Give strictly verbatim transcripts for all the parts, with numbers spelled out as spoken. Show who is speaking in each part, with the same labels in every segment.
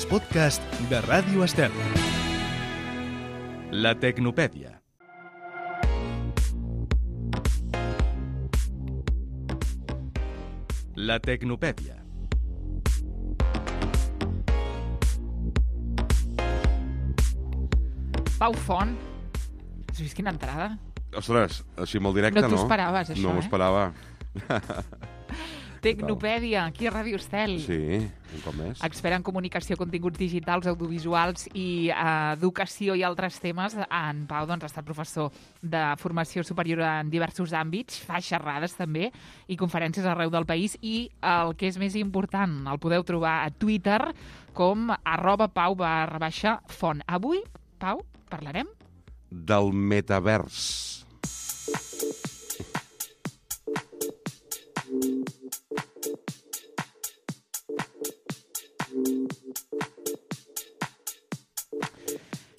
Speaker 1: els podcasts de Ràdio Estel. La Tecnopèdia. La Tecnopèdia.
Speaker 2: Pau Font, has vist quina entrada?
Speaker 3: Ostres, així molt directe, no?
Speaker 2: No t'ho esperaves, això,
Speaker 3: no m'ho
Speaker 2: eh?
Speaker 3: esperava.
Speaker 2: Tecnopèdia, aquí a Ràdio Estel.
Speaker 3: Sí, un cop més.
Speaker 2: Expert en comunicació, continguts digitals, audiovisuals i eh, educació i altres temes. En Pau doncs, ha estat professor de formació superior en diversos àmbits, fa xerrades també i conferències arreu del país i el que és més important, el podeu trobar a Twitter com arroba pau barra baixa font. Avui, Pau, parlarem
Speaker 3: del metavers.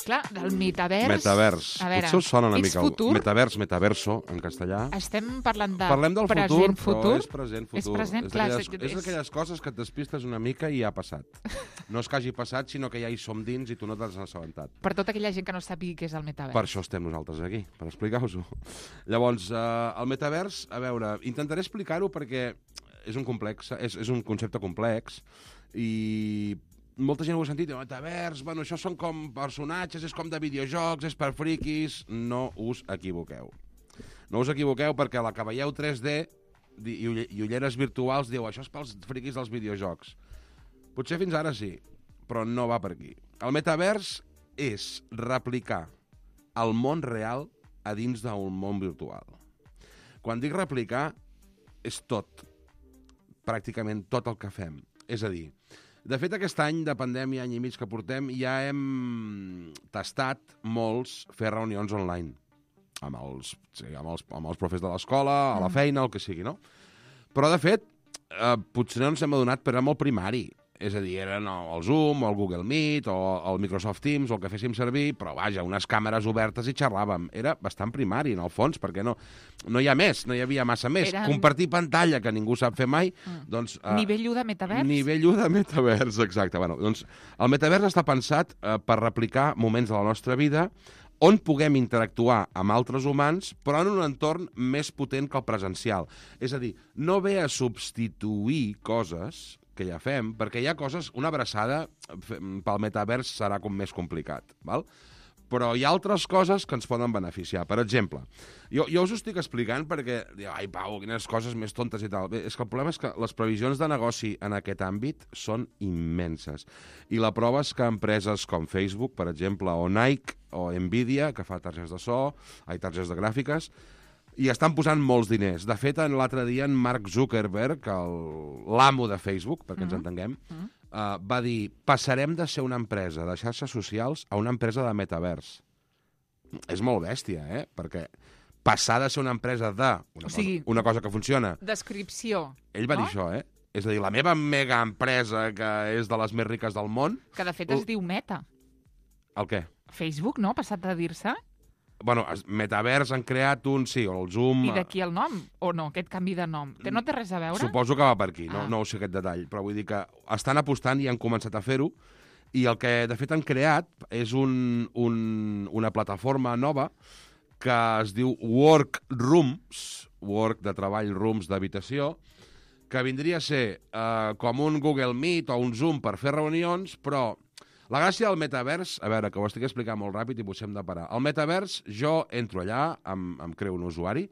Speaker 2: Clar, del metavers...
Speaker 3: Metavers.
Speaker 2: A veure,
Speaker 3: Potser us sona una
Speaker 2: ets
Speaker 3: mica
Speaker 2: futur?
Speaker 3: el metavers, metaverso, en castellà.
Speaker 2: Estem parlant de
Speaker 3: Parlem del
Speaker 2: present,
Speaker 3: futur,
Speaker 2: futur.
Speaker 3: però és present, futur.
Speaker 2: És present,
Speaker 3: és
Speaker 2: clar.
Speaker 3: d'aquelles-
Speaker 2: és-
Speaker 3: És d'aquelles coses que et despistes una mica i ja ha passat. No és que hagi passat, sinó que ja hi som dins i tu no t'has assabentat.
Speaker 2: Per tota aquella gent que no sàpiga què és el metavers.
Speaker 3: Per això estem nosaltres aquí, per explicar-vos-ho. Llavors, eh, el metavers, a veure, intentaré explicar-ho perquè és un complex, és, és un concepte complex i molta gent ho ha sentit, el metavers, bueno, això són com personatges, és com de videojocs, és per friquis. No us equivoqueu. No us equivoqueu perquè a la que veieu tres D i, ull i ulleres virtuals diu això és pels friquis dels videojocs. Potser fins ara sí, però no va per aquí. El metavers és replicar el món real a dins d'un món virtual. Quan dic replicar, és tot, pràcticament tot el que fem. És a dir, de fet, aquest any de pandèmia, any i mig que portem, ja hem tastat molts fer reunions online amb els, sí, amb els, amb els profes de l'escola, a la feina, el que sigui, no? Però, de fet, eh, potser no ens hem adonat, però era molt primari. És a dir, eren el Zoom, o el Google Meet, o el Microsoft Teams, o el que féssim servir, però, vaja, unes càmeres obertes i xerràvem. Era bastant primari, en el fons, perquè no, no hi ha més, no hi havia massa més.
Speaker 2: Eren...
Speaker 3: Compartir pantalla, que ningú sap fer mai,
Speaker 2: Mm.
Speaker 3: doncs... Eh,
Speaker 2: Nivell u de metavers?
Speaker 3: Nivell u de metavers, exacte. Bueno, doncs, el metavers està pensat eh, per replicar moments de la nostra vida on puguem interactuar amb altres humans, però en un entorn més potent que el presencial. És a dir, no ve a substituir coses que ja fem, perquè hi ha coses... Una abraçada pel metavers serà com més complicat, val? Però hi ha altres coses que ens poden beneficiar. Per exemple, jo, jo us ho estic explicant perquè... Ai, Pau, quines coses més tontes i tal. Bé, és que el problema és que les previsions de negoci en aquest àmbit són immenses. I la prova és que empreses com Facebook, per exemple, o Nike, o Nvidia, que fa targetes de so, ai, targetes de gràfiques, i estan posant molts diners. De fet, l'altre dia en Mark Zuckerberg, l'amo de Facebook, perquè ens entenguem,
Speaker 2: Mm.
Speaker 3: uh, va dir, passarem de ser una empresa de xarxes socials a una empresa de metavers. És molt bèstia, eh? Perquè passar de ser una empresa de... Una,
Speaker 2: O sigui,
Speaker 3: cosa, una cosa que funciona...
Speaker 2: Descripció.
Speaker 3: Ell va
Speaker 2: no?
Speaker 3: dir això, eh? És a dir, la meva mega empresa, que és de les més riques del món...
Speaker 2: Que de fet es diu Meta.
Speaker 3: El què?
Speaker 2: Facebook, no? Ha passat de dir-se.
Speaker 3: Bueno, metavers han creat un, sí, o el Zoom...
Speaker 2: I d'aquí el nom? O no, aquest canvi de nom? Que no té res a veure?
Speaker 3: Suposo que va per aquí, no,
Speaker 2: Ah.
Speaker 3: no ho sé aquest detall, però vull dir que estan apostant i han començat a fer-ho, i el que de fet han creat és un, un, una plataforma nova que es diu Workrooms, Work de treball, Rooms d'habitació, que vindria a ser eh, com un Google Meet o un Zoom per fer reunions, però la gràcia del metavers, a veure, que ho estic explicant molt ràpid i potser hem de parar. El metavers, jo entro allà, em, em creo un usuari,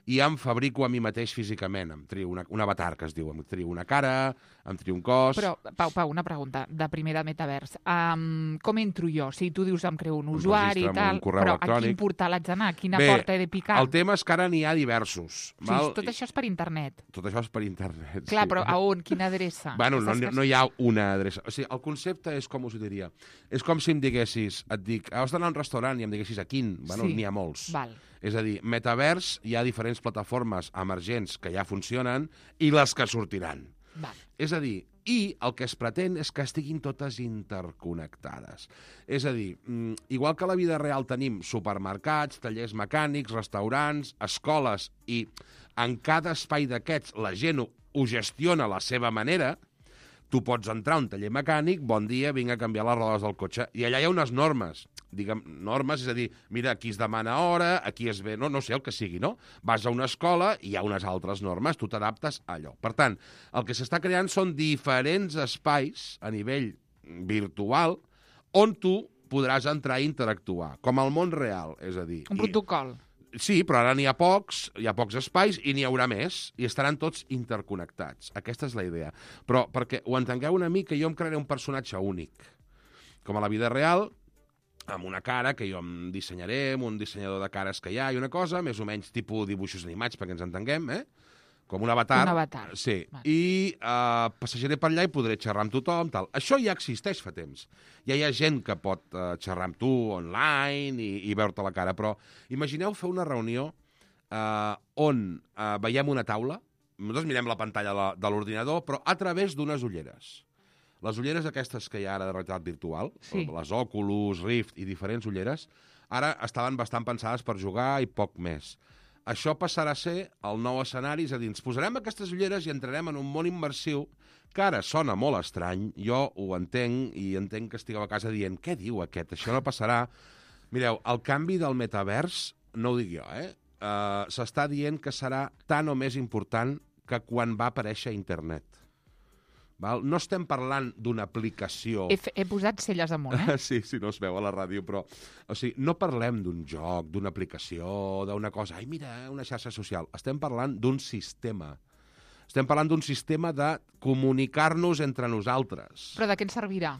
Speaker 3: i em fabrico a mi mateix físicament. Em trio una, un avatar, que es diu. Em trio una cara, em trio un cos...
Speaker 2: Però, Pau, Pau, una pregunta de primer de metavers. Um, com entro jo? Si tu dius em creo un
Speaker 3: Em
Speaker 2: usuari i
Speaker 3: registre amb
Speaker 2: tal,
Speaker 3: un correu
Speaker 2: però
Speaker 3: electrònic.
Speaker 2: a quin portal haig d'anar? A quina
Speaker 3: Bé,
Speaker 2: porta he de picar?
Speaker 3: el tema és que ara n'hi ha diversos.
Speaker 2: O sigui,
Speaker 3: val?
Speaker 2: tot això és per internet.
Speaker 3: Tot això és per internet.
Speaker 2: Clar,
Speaker 3: sí.
Speaker 2: però a on? Quina adreça?
Speaker 3: Bueno, no,
Speaker 2: Aquestes
Speaker 3: no hi ha una adreça. O sigui, el concepte és, com us ho diria, és com si em diguessis, et dic, has d'anar a un restaurant i em diguessis a quin. Bueno,
Speaker 2: Sí.
Speaker 3: n'hi ha molts.
Speaker 2: Val.
Speaker 3: És a dir, metavers, hi ha diferents plataformes emergents que ja funcionen i les que sortiran.
Speaker 2: Val.
Speaker 3: És a dir, i el que es pretén és que estiguin totes interconnectades. És a dir, igual que a la vida real tenim supermercats, tallers mecànics, restaurants, escoles, i en cada espai d'aquests la gent ho, ho gestiona a la seva manera, Tu pots entrar a un taller mecànic, bon dia, vinc a canviar les rodes del cotxe, i allà hi ha unes normes, diguem, normes, és a dir, mira, aquí es demana hora, aquí es ve, no, no sé, el que sigui, no? Vas a una escola i hi ha unes altres normes, tu t'adaptes a allò. Per tant, el que s'està creant són diferents espais a nivell virtual on tu podràs entrar i interactuar, com al món real, és a dir...
Speaker 2: Un protocol.
Speaker 3: Sí, però ara n'hi ha pocs, hi ha pocs espais i n'hi haurà més, i estaran tots interconnectats. Aquesta és la idea. Però perquè ho entengueu una mica, jo em crearé un personatge únic. Com a la vida real, amb una cara que jo em dissenyaré, amb un dissenyador de cares que hi ha, i una cosa, més o menys tipus dibuixos animats, perquè ens entenguem, eh? Com un avatar.
Speaker 2: Un avatar.
Speaker 3: Sí.
Speaker 2: Vale.
Speaker 3: I uh, passejaré per allà i podré xerrar amb tothom, tal. Això ja existeix fa temps. Ja hi ha gent que pot uh, xerrar amb tu online i, i veure-te la cara, però imagineu fer una reunió uh, on uh, veiem una taula, nosaltres mirem la pantalla la, de l'ordinador, però a través d'unes ulleres. Les ulleres aquestes que hi ha ara de realitat virtual,
Speaker 2: sí.
Speaker 3: Les Oculus, Rift i diferents ulleres, ara estaven bastant pensades per jugar i poc més. Això passarà a ser el nou escenari, és a dir, ens posarem aquestes ulleres i entrarem en un món immersiu que ara sona molt estrany, jo ho entenc i entenc que estigueu a casa dient què diu aquest, això no passarà. Mireu, el canvi del metavers, no ho dic jo, eh? Uh, s'està dient que serà tan o més important que quan va aparèixer internet. Val? No estem parlant d'una aplicació...
Speaker 2: He, he posat celles amunt, eh?
Speaker 3: Sí, sí, no es veu a la ràdio, però... O sigui, no parlem d'un joc, d'una aplicació, d'una cosa... Ai, mira, una xarxa social. Estem parlant d'un sistema. Estem parlant d'un sistema de comunicar-nos entre nosaltres.
Speaker 2: Però de què ens servirà?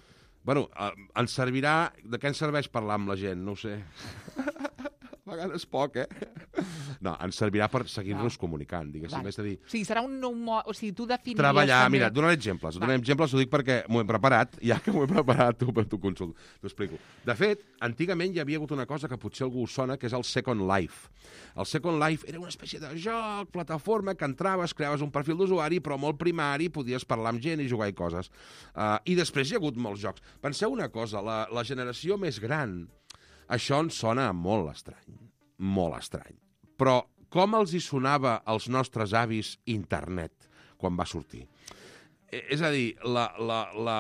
Speaker 3: Bueno, eh, ens servirà... De què ens serveix parlar amb la gent? No ho sé. A vegades poc, eh? No, ens servirà per seguir-nos comunicant, diguéssim.
Speaker 2: Vale.
Speaker 3: És a dir,
Speaker 2: O sigui, serà un nou... Mo... O sigui, tu definiries...
Speaker 3: treballar,
Speaker 2: també...
Speaker 3: mira, donaré exemples. Donaré exemples, ho dic perquè m'ho he preparat, ja que m'ho he preparat, t'ho consulto, t'ho explico. De fet, antigament hi havia hagut una cosa que potser algú us sona, que és el Second Life. El Second Life era una espècie de joc, plataforma, que entraves, creaves un perfil d'usuari, però molt primari, podies parlar amb gent i jugar i coses. Uh, I després hi ha hagut molts jocs. Penseu una cosa, la, la generació més gran, això ens sona molt estrany, molt estrany. Però com els hi sonava als nostres avis internet quan va sortir? És a dir, la, la, la,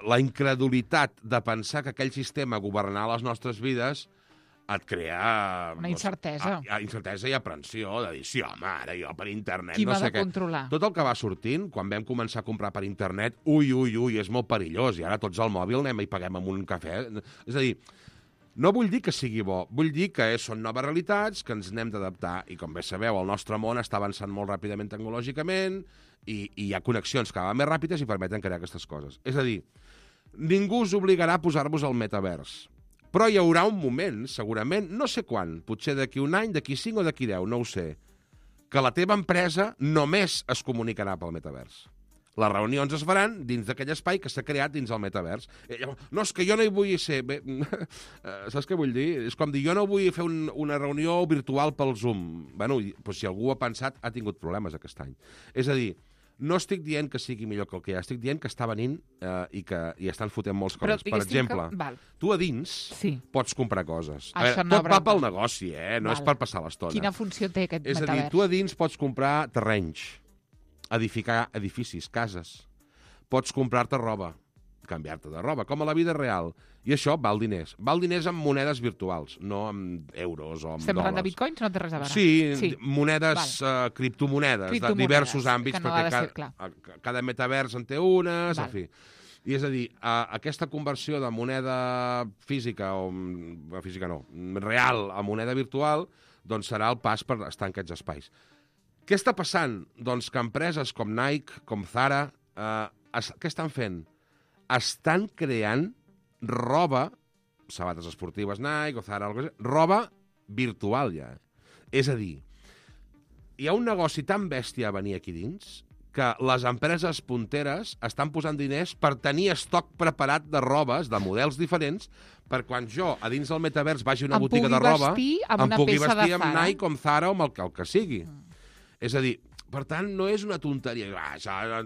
Speaker 3: la incredulitat de pensar que aquell sistema governarà les nostres vides et crea...
Speaker 2: Una incertesa.
Speaker 3: No sé, a, a, incertesa i aprensió, de dir, sí, home, ara jo per internet
Speaker 2: Qui
Speaker 3: no sé
Speaker 2: m'ha de
Speaker 3: què.
Speaker 2: controlar?
Speaker 3: Tot el que va sortint, quan vam començar a comprar per internet, ui, ui, ui, és molt perillós, i ara tots al mòbil anem i paguem amb un cafè. És a dir, no vull dir que sigui bo, vull dir que són noves realitats, que ens n'hem d'adaptar, i com bé sabeu, el nostre món està avançant molt ràpidament tecnològicament, i, i hi ha connexions cada vegada més ràpides i permeten crear aquestes coses. És a dir, ningú us obligarà a posar-vos al metavers, però hi haurà un moment, segurament, no sé quan, potser d'aquí un any, d'aquí cinc o d'aquí deu, no ho sé, que la teva empresa només es comunicarà pel metavers. Les reunions es faran dins d'aquell espai que s'ha creat dins el metavers. No, és que jo no hi vull ser... Bé, saps què vull dir? És com dir, jo no vull fer un, una reunió virtual pel Zoom. Bueno, doncs si algú ha pensat, ha tingut problemes aquest any. És a dir, no estic dient que sigui millor que el que hi ha, estic dient que està venint eh, i que hi estan fotent molts coses. Per exemple,
Speaker 2: que... Val.
Speaker 3: tu a dins
Speaker 2: sí.
Speaker 3: pots comprar coses. A
Speaker 2: veure,
Speaker 3: veure, tot va pel negoci, eh? No Val. És per passar l'estona.
Speaker 2: Quina funció té aquest
Speaker 3: és
Speaker 2: metavers?
Speaker 3: És a dir, tu a dins pots comprar terrenys, edificar edificis, cases. Pots comprar-te roba, canviar-te de roba, com a la vida real. I això val diners. Val diners amb monedes virtuals, no amb euros o amb
Speaker 2: Estem
Speaker 3: dòlars.
Speaker 2: parlant de bitcoins? No té res a veure.
Speaker 3: Sí,
Speaker 2: sí.
Speaker 3: monedes, uh, criptomonedes, criptomonedes, de diversos àmbits,
Speaker 2: no
Speaker 3: perquè
Speaker 2: ser,
Speaker 3: cada, cada metavers en té unes,
Speaker 2: val.
Speaker 3: en fi. I és a dir, uh, aquesta conversió de moneda física, o física no, real a moneda virtual, doncs serà el pas per estar en aquests espais. Què està passant? Doncs que empreses com Nike, com Zara, eh, es, què estan fent? Estan creant roba, sabates esportives Nike o Zara, roba virtual ja. És a dir, hi ha un negoci tan bèstia a venir aquí dins que les empreses punteres estan posant diners per tenir estoc preparat de robes, de models diferents, per quan jo, a dins del metavers, vagi a una
Speaker 2: em
Speaker 3: botiga de roba,
Speaker 2: amb
Speaker 3: em
Speaker 2: una
Speaker 3: pugui
Speaker 2: peça
Speaker 3: vestir
Speaker 2: de
Speaker 3: amb
Speaker 2: Zara.
Speaker 3: Nike, com Zara o amb el que, el que sigui. Mm. És a dir, per tant, no és una tonteria.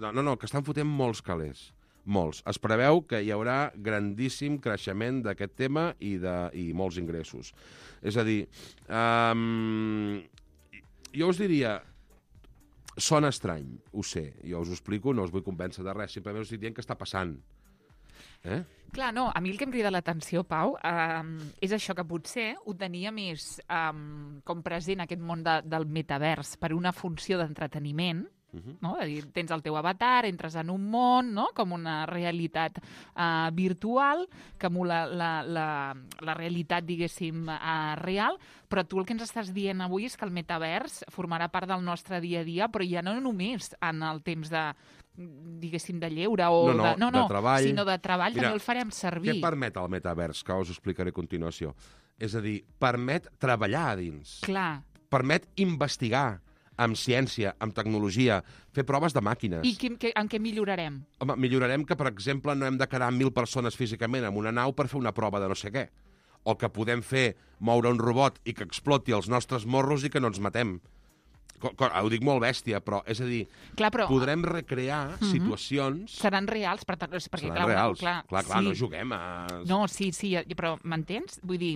Speaker 3: No, no, que estan fotent molts calés. Molts. Es preveu que hi haurà grandíssim creixement d'aquest tema i, de, i molts ingressos. És a dir, um, jo us diria, sona estrany, ho sé. Jo us ho explico, no us vull convèncer de res, simplement us estic dient que està passant. Eh?
Speaker 2: Clar, no, a mi el que em crida l'atenció, Pau, eh, és això que potser ho tenia més eh, com present aquest món de, del metavers per una funció d'entreteniment, uh-huh. no? És dir, tens el teu avatar, entres en un món, no? Com una realitat eh, virtual que emula la, la, la realitat, diguéssim, eh, real, però tu el que ens estàs dient avui és que el metavers formarà part del nostre dia a dia, però ja no només en el temps de diguéssim, de lleure o
Speaker 3: no, no,
Speaker 2: de, no, no,
Speaker 3: de treball.
Speaker 2: sinó de treball.
Speaker 3: Mira,
Speaker 2: també el farem servir.
Speaker 3: Què permet el metavers, que us ho explicaré a continuació? És a dir, permet treballar a dins.
Speaker 2: Clar.
Speaker 3: Permet investigar amb ciència, amb tecnologia, fer proves de màquines.
Speaker 2: I que, que, en què millorarem?
Speaker 3: Home, millorarem que, per exemple, no hem de quedar mil persones físicament en una nau per fer una prova de no sé què. O que podem fer moure un robot i que exploti els nostres morros i que no ens matem. Ho dic molt bèstia, però, és a dir,
Speaker 2: clar, però,
Speaker 3: podrem recrear uh-huh. situacions...
Speaker 2: Seran reals, per tant, perquè,
Speaker 3: seran
Speaker 2: clar,
Speaker 3: reals,
Speaker 2: clar,
Speaker 3: clar, clar
Speaker 2: sí.
Speaker 3: no juguem a...
Speaker 2: No, sí, sí, però m'entens? Vull dir,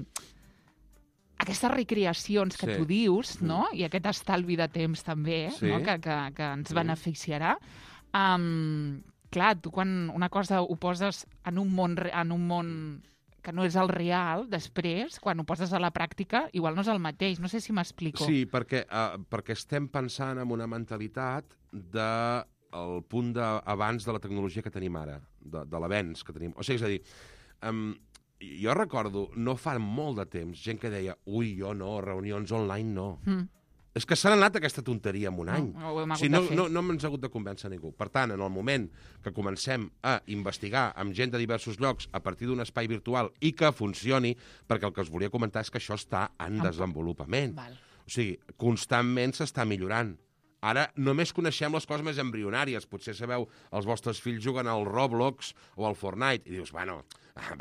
Speaker 2: aquestes recreacions que sí. tu dius, no? I aquest estalvi de temps també, sí. no? que, que, que ens beneficiarà, um, clar, tu quan una cosa ho poses en un món, en un món que no és el real, després, quan ho poses a la pràctica, igual no és el mateix. No sé si m'explico.
Speaker 3: Sí, perquè, uh, perquè estem pensant en una mentalitat del de punt d'abans de la tecnologia que tenim ara, de, de l'avenç que tenim. O sigui, és a dir, um, jo recordo, no fa molt de temps, gent que deia, ui, jo no, reunions online no. Mm. És que s'ha anat aquesta tonteria en un any.
Speaker 2: No, no,
Speaker 3: o sigui, no, no, no ens ha hagut de convèncer ningú. Per tant, en el moment que comencem a investigar amb gent de diversos llocs a partir d'un espai virtual i que funcioni, perquè el que us volia comentar és que això està en desenvolupament.
Speaker 2: Val.
Speaker 3: O sigui, constantment s'està millorant. Ara només coneixem les coses més embrionàries. Potser sabeu, els vostres fills juguen al Roblox o al Fortnite i dius, bueno,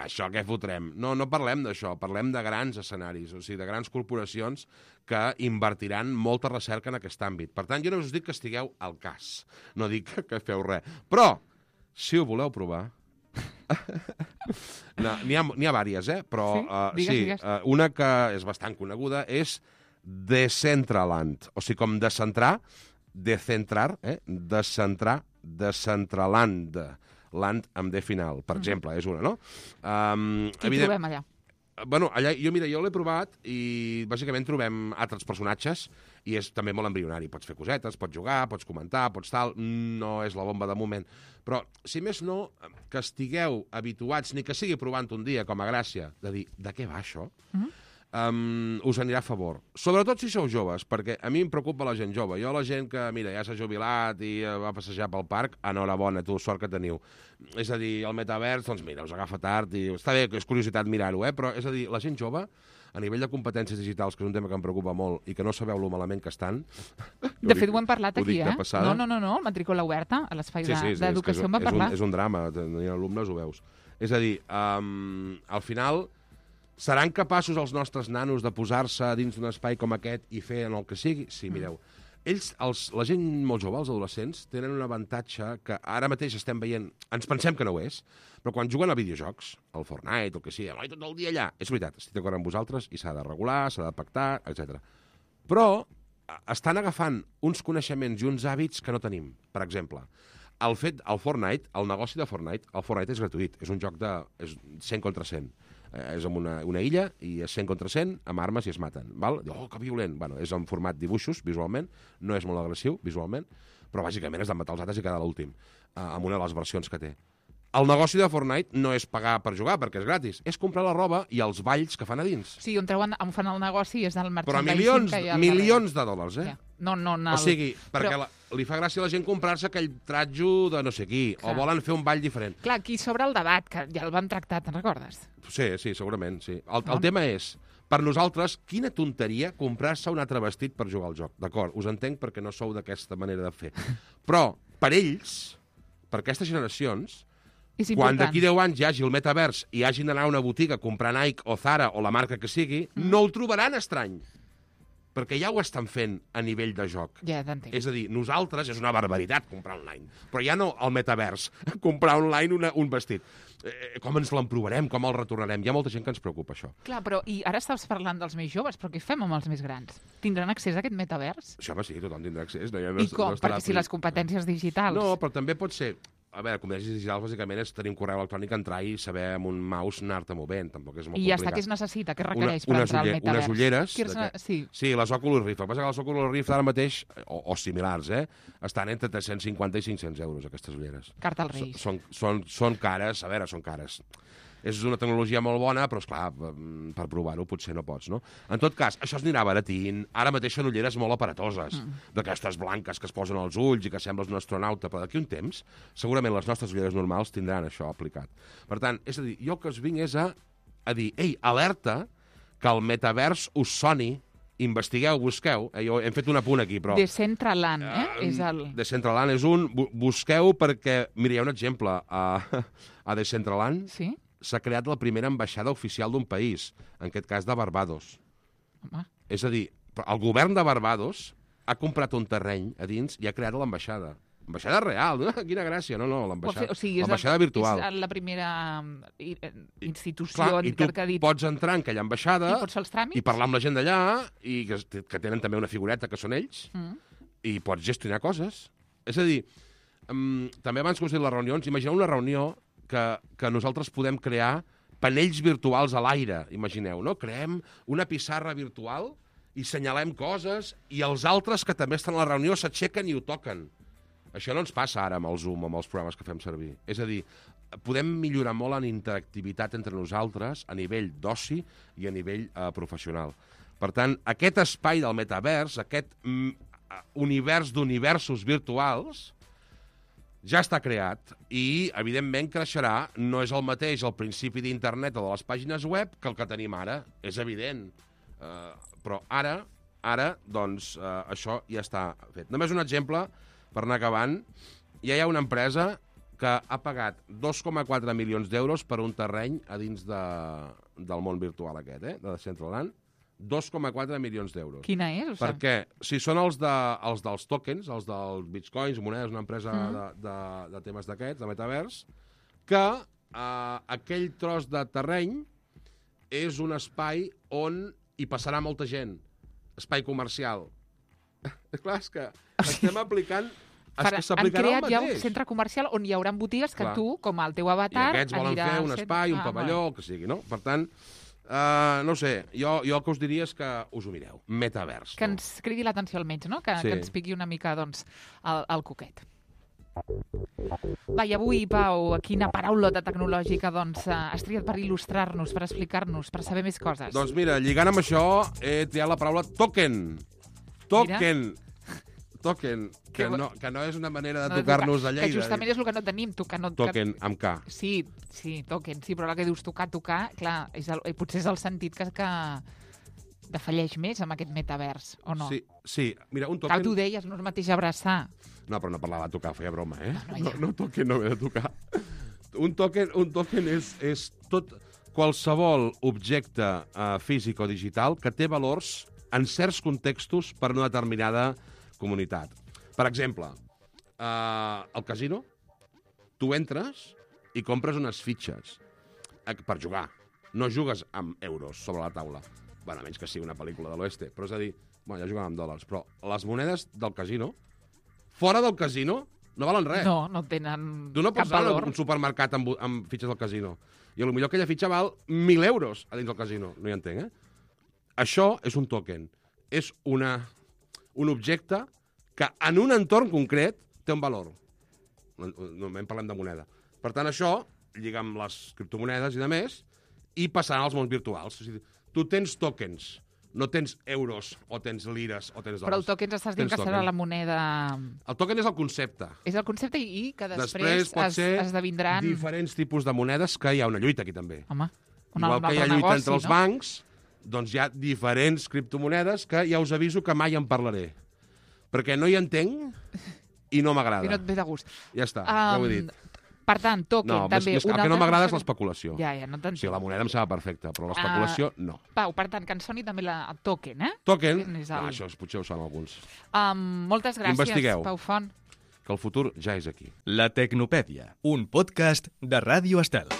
Speaker 3: això què fotrem? No, no parlem d'això, parlem de grans escenaris, o sigui, de grans corporacions que invertiran molta recerca en aquest àmbit. Per tant, jo no us dic que estigueu al cas, no dic que feu res. Però, si ho voleu provar... no, n'hi ha, n'hi ha vàries, eh? Però sí, uh,
Speaker 2: digues,
Speaker 3: sí
Speaker 2: digues.
Speaker 3: Uh, una que és bastant coneguda és Decentraland, o sigui, com descentrar, decentrar, eh? Descentrar, Decentraland, land amb D final, per mm. exemple, és una, no? Um,
Speaker 2: Qui evident... trobem allà?
Speaker 3: Bueno, allà, jo, mira, jo l'he provat i bàsicament trobem altres personatges i és també molt embrionari. Pots fer cosetes, pots jugar, pots comentar, pots tal... No és la bomba de moment. Però, si més no, que estigueu habituats, ni que sigui provant un dia com a gràcia, de dir, de què va això? Mm. Um, us anirà a favor. Sobretot si sou joves, perquè a mi em preocupa la gent jove. Jo la gent que, mira, ja s'ha jubilat i va passejar pel parc, enhorabona, tu, sort que teniu. És a dir, el metavers, doncs mira, us agafa tard i està bé, és curiositat mirar-ho, eh? Però és a dir, la gent jove, a nivell de competències digitals, que és un tema que em preocupa molt i que no sabeu lo malament que estan...
Speaker 2: De fet, ho hem parlat
Speaker 3: ho
Speaker 2: aquí, eh?
Speaker 3: No,
Speaker 2: no, no, no, matrícula oberta, a l'espai
Speaker 3: sí, sí,
Speaker 2: d'educació
Speaker 3: és,
Speaker 2: en va parlar.
Speaker 3: És un, és un drama, tenir alumnes ho veus. És a dir, um, al final... Seran capaços els nostres nanos de posar-se dins d'un espai com aquest i fer en el que sigui? Sí, mireu. Ells, els, la gent molt jove, els adolescents, tenen un avantatge que ara mateix estem veient... Ens pensem que no ho és, però quan juguen a videojocs, al Fortnite, el que sigui, tot el dia allà, és veritat, estic d'acord amb vosaltres i s'ha de regular, s'ha de pactar, etcètera. Però estan agafant uns coneixements i uns hàbits que no tenim. Per exemple, el fet, el Fortnite, el negoci de Fortnite, el Fortnite és gratuït, és un joc de és cent contra cent. Eh, és en una, una illa i és cent contra cent, amb armes i es maten. Val? Oh, que violent! Bueno, és en format dibuixos, visualment, no és molt agressiu, visualment, però bàsicament és de matar els altres i quedar l'últim, eh, amb una de les versions que té. El negoci de Fortnite no és pagar per jugar, perquè és gratis, és comprar la roba i els balls que fan a dins.
Speaker 2: Sí, on treuen, on fan el negoci és del merchandising.
Speaker 3: Però milions,
Speaker 2: que hi ha
Speaker 3: milions de dòlars, eh?
Speaker 2: Ja. No, no, no,
Speaker 3: o sigui, perquè
Speaker 2: però...
Speaker 3: la, li fa gràcia a la gent comprar-se aquell tratjo de no sé qui, clar. O volen fer un ball diferent.
Speaker 2: Clar, aquí s'obre el debat, que ja el vam tractar, te'n recordes?
Speaker 3: Sí, sí, segurament, sí. El, el tema és, per nosaltres, quina tonteria comprar-se un altre vestit per jugar al joc. D'acord, us entenc perquè no sou d'aquesta manera de fer. Però, per ells, per aquestes generacions, quan d'aquí deu anys hi hagi el metavers i hagin d'anar a una botiga a comprar Nike o Zara o la marca que sigui, mm. no ho trobaran estrany. perquè ja ho estan fent a nivell de joc.
Speaker 2: Ja t'entenc.
Speaker 3: És a dir, nosaltres, és una barbaritat comprar online, però ja no al metavers, comprar online una, un vestit. Eh, com ens l'emprovarem, com el retornarem? Hi ha molta gent que ens preocupa això.
Speaker 2: Clar, però i ara estàs parlant dels més joves, però què fem amb els més grans? Tindran accés a aquest metavers?
Speaker 3: Això va, sí, tothom tindrà accés. No, ja no,
Speaker 2: I com?
Speaker 3: No estarà
Speaker 2: Perquè si les competències digitals...
Speaker 3: No, però també pot ser... A veure, competències digitals, bàsicament, és tenir un correu electrònic, entrar i saber amb un mouse anar-te movent. Tampoc és molt
Speaker 2: I ja
Speaker 3: complicat.
Speaker 2: està, què es necessita? Què requereix
Speaker 3: una,
Speaker 2: per entrar al
Speaker 3: uller,
Speaker 2: metavers?
Speaker 3: unes ulleres...
Speaker 2: Què es...
Speaker 3: d'aquest-
Speaker 2: Sí.
Speaker 3: Sí, les Oculus Rift. El que passa que les Oculus Rift ara mateix, o, o similars, eh, estan entre tres-cents cinquanta i cinc-cents euros, aquestes ulleres.
Speaker 2: Carta als Reis.
Speaker 3: Són, són, són cares, a veure, són cares. És una tecnologia molt bona, però, esclar, per provar-ho potser no pots, no? En tot cas, això es anirà baratint. Ara mateix són ulleres molt aparatoses, mm. d'aquestes blanques que es posen als ulls i que sembles un astronauta, però d'aquí un temps, segurament les nostres ulleres normals tindran això aplicat. Per tant, és a dir, jo el que us vinc és a, a dir, ei, alerta que el metavers us soni, investigueu, busqueu. Eh, jo hem fet un apunt aquí, però...
Speaker 2: Decentraland, eh?
Speaker 3: Uh,
Speaker 2: és el...
Speaker 3: Decentraland és un... Bu busqueu perquè... Mira, hi ha un exemple. A, a Decentraland
Speaker 2: Sí?
Speaker 3: s'ha creat la primera ambaixada oficial d'un país, en aquest cas de Barbados.
Speaker 2: Home.
Speaker 3: És a dir, el govern de Barbados ha comprat un terreny a dins i ha creat l'ambaixada. Ambaixada real, no? Quina gràcia, no, no, l'ambaixada
Speaker 2: O sigui, és
Speaker 3: l'ambaixada
Speaker 2: la,
Speaker 3: virtual.
Speaker 2: És la primera i- eh, institució
Speaker 3: Clar, i tu
Speaker 2: que ha dit...
Speaker 3: pots entrar en aquella ambaixada
Speaker 2: I pots fer els tràmits?
Speaker 3: i parlar amb la gent d'allà, i que, que tenen també una figureta que són ells,
Speaker 2: Mm.
Speaker 3: i pots gestionar coses. És a dir, um, també abans que us he dit les reunions, imagineu una reunió que, que nosaltres podem crear panells virtuals a l'aire, imagineu, no? Creem una pissarra virtual i senyalem coses i els altres que també estan a la reunió s'aixequen i ho toquen. Això no ens passa ara amb el Zoom, amb els programes que fem servir. És a dir, podem millorar molt en interactivitat entre nosaltres a nivell d'oci i a nivell eh, professional. Per tant, aquest espai del metavers, aquest mm, univers d'universos virtuals, ja està creat i, evidentment, creixerà. No és el mateix al principi d'internet o de les pàgines web que el que tenim ara. És evident. Uh, però ara, ara, doncs, uh, això ja està fet. Només un exemple, per anar acabant. Ja hi ha una empresa que ha pagat dos coma quatre milions d'euros per un terreny a dins de, del món virtual aquest, eh? De Decentraland. dos coma quatre milions d'euros.
Speaker 2: Quina és? O sigui,
Speaker 3: Perquè si són els, de, els dels tokens, els dels bitcoins, monedes, una empresa mm. de, de, de temes d'aquests, de metavers, que eh, aquell tros de terreny és un espai on hi passarà molta gent. Espai comercial. Clar, és que estem aplicant... És
Speaker 2: Farà,
Speaker 3: que
Speaker 2: han
Speaker 3: s'aplicarà el
Speaker 2: creat ja un
Speaker 3: mateix.
Speaker 2: centre comercial on hi haurà botigues que
Speaker 3: Clar.
Speaker 2: tu, com el teu
Speaker 3: I
Speaker 2: avatar,
Speaker 3: aquests volen
Speaker 2: anirà
Speaker 3: fer un
Speaker 2: sent-
Speaker 3: espai, un
Speaker 2: Ah,
Speaker 3: pavelló, el que sigui, no? Per tant, uh, no sé, jo, jo el que us diria és que us ho mireu. Metavers.
Speaker 2: Que
Speaker 3: no?
Speaker 2: ens cridi l'atenció almenys, no? Que,
Speaker 3: Sí.
Speaker 2: que ens piqui una mica, doncs, el, el coquet. Va, i avui, Pau, quina paraulota tecnològica, doncs, eh, has triat per il·lustrar-nos, per explicar-nos, per saber més coses.
Speaker 3: Doncs mira, lligant amb això, he triat la paraula token. Token. Mira. Token, que
Speaker 2: Que-
Speaker 3: no, que no és una manera de
Speaker 2: No,
Speaker 3: tocar-nos a
Speaker 2: Que
Speaker 3: Lleida.
Speaker 2: justament és el que no tenim, tocar... No,
Speaker 3: Token, amb K.
Speaker 2: Que... Sí, sí, token, sí, però la que dius tocar, tocar, clar, és el, potser és el sentit que, que defalleix més amb aquest metavers, o no?
Speaker 3: Sí, sí, mira, un
Speaker 2: Clar,
Speaker 3: token...
Speaker 2: tu deies, no és el mateix abraçar.
Speaker 3: No, però no parlava de tocar, feia broma, eh?
Speaker 2: No, no,
Speaker 3: No,
Speaker 2: ja.
Speaker 3: no token, no ve de tocar. Un token, un token és, és tot qualsevol objecte uh, físic o digital que té valors en certs contextos per una determinada comunitat. Per exemple, uh, al casino, tu entres i compres unes fitxes eh, per jugar. No jugues amb euros sobre la taula. Bueno, a menys que sigui una pel·lícula de l'oeste. Però és a dir, bueno, ja juguen amb dòlars. Però les monedes del casino, fora del casino, no valen res.
Speaker 2: No, no tenen
Speaker 3: Tu no
Speaker 2: cap
Speaker 3: pots anar
Speaker 2: valor.
Speaker 3: a un supermercat amb, amb fitxes del casino. I potser aquella fitxa val mil euros a dins del casino. No hi entenc, eh? Això és un token. És una, un objecte que en un entorn concret té un valor. Normalment parlem de moneda. Per tant, això lliga amb les criptomonedes i de més i passarà als mons virtuals. O sigui, tu tens tokens, no tens euros o tens lires o tens dòlars.
Speaker 2: Però el token estàs dient
Speaker 3: Tens
Speaker 2: que serà
Speaker 3: token.
Speaker 2: la moneda...
Speaker 3: El token és el concepte.
Speaker 2: És el concepte i i que després,
Speaker 3: Després pot
Speaker 2: es,
Speaker 3: ser
Speaker 2: esdevindran...
Speaker 3: diferents tipus de monedes, que hi ha una lluita aquí també.
Speaker 2: Home, un,
Speaker 3: Igual
Speaker 2: un
Speaker 3: que hi ha
Speaker 2: altre
Speaker 3: lluita
Speaker 2: negoci,
Speaker 3: entre els
Speaker 2: no?
Speaker 3: bancs, doncs hi ha diferents criptomonedes que ja us aviso que mai en parlaré. Perquè no hi entenc i no
Speaker 2: I no
Speaker 3: m'agrada.
Speaker 2: et ve de gust.
Speaker 3: Ja està, ja ho he dit.
Speaker 2: Per tant, token,
Speaker 3: No,
Speaker 2: també...
Speaker 3: més, més, el
Speaker 2: un
Speaker 3: que no
Speaker 2: altre
Speaker 3: m'agrada és
Speaker 2: concepte-
Speaker 3: l'especulació.
Speaker 2: Ja, ja, no
Speaker 3: O
Speaker 2: t'entenc.
Speaker 3: sigui, la moneda em sembla perfecta, però l'especulació, no.
Speaker 2: Pau, per tant, que ens soni també la, el token, eh?
Speaker 3: Token,
Speaker 2: Token és
Speaker 3: no,
Speaker 2: el-
Speaker 3: això potser ho són alguns.
Speaker 2: Um, moltes gràcies,
Speaker 3: Investigueu.
Speaker 2: Pau Font.
Speaker 3: Que el futur ja és aquí.
Speaker 1: La Tecnopèdia, un podcast de Ràdio Estel.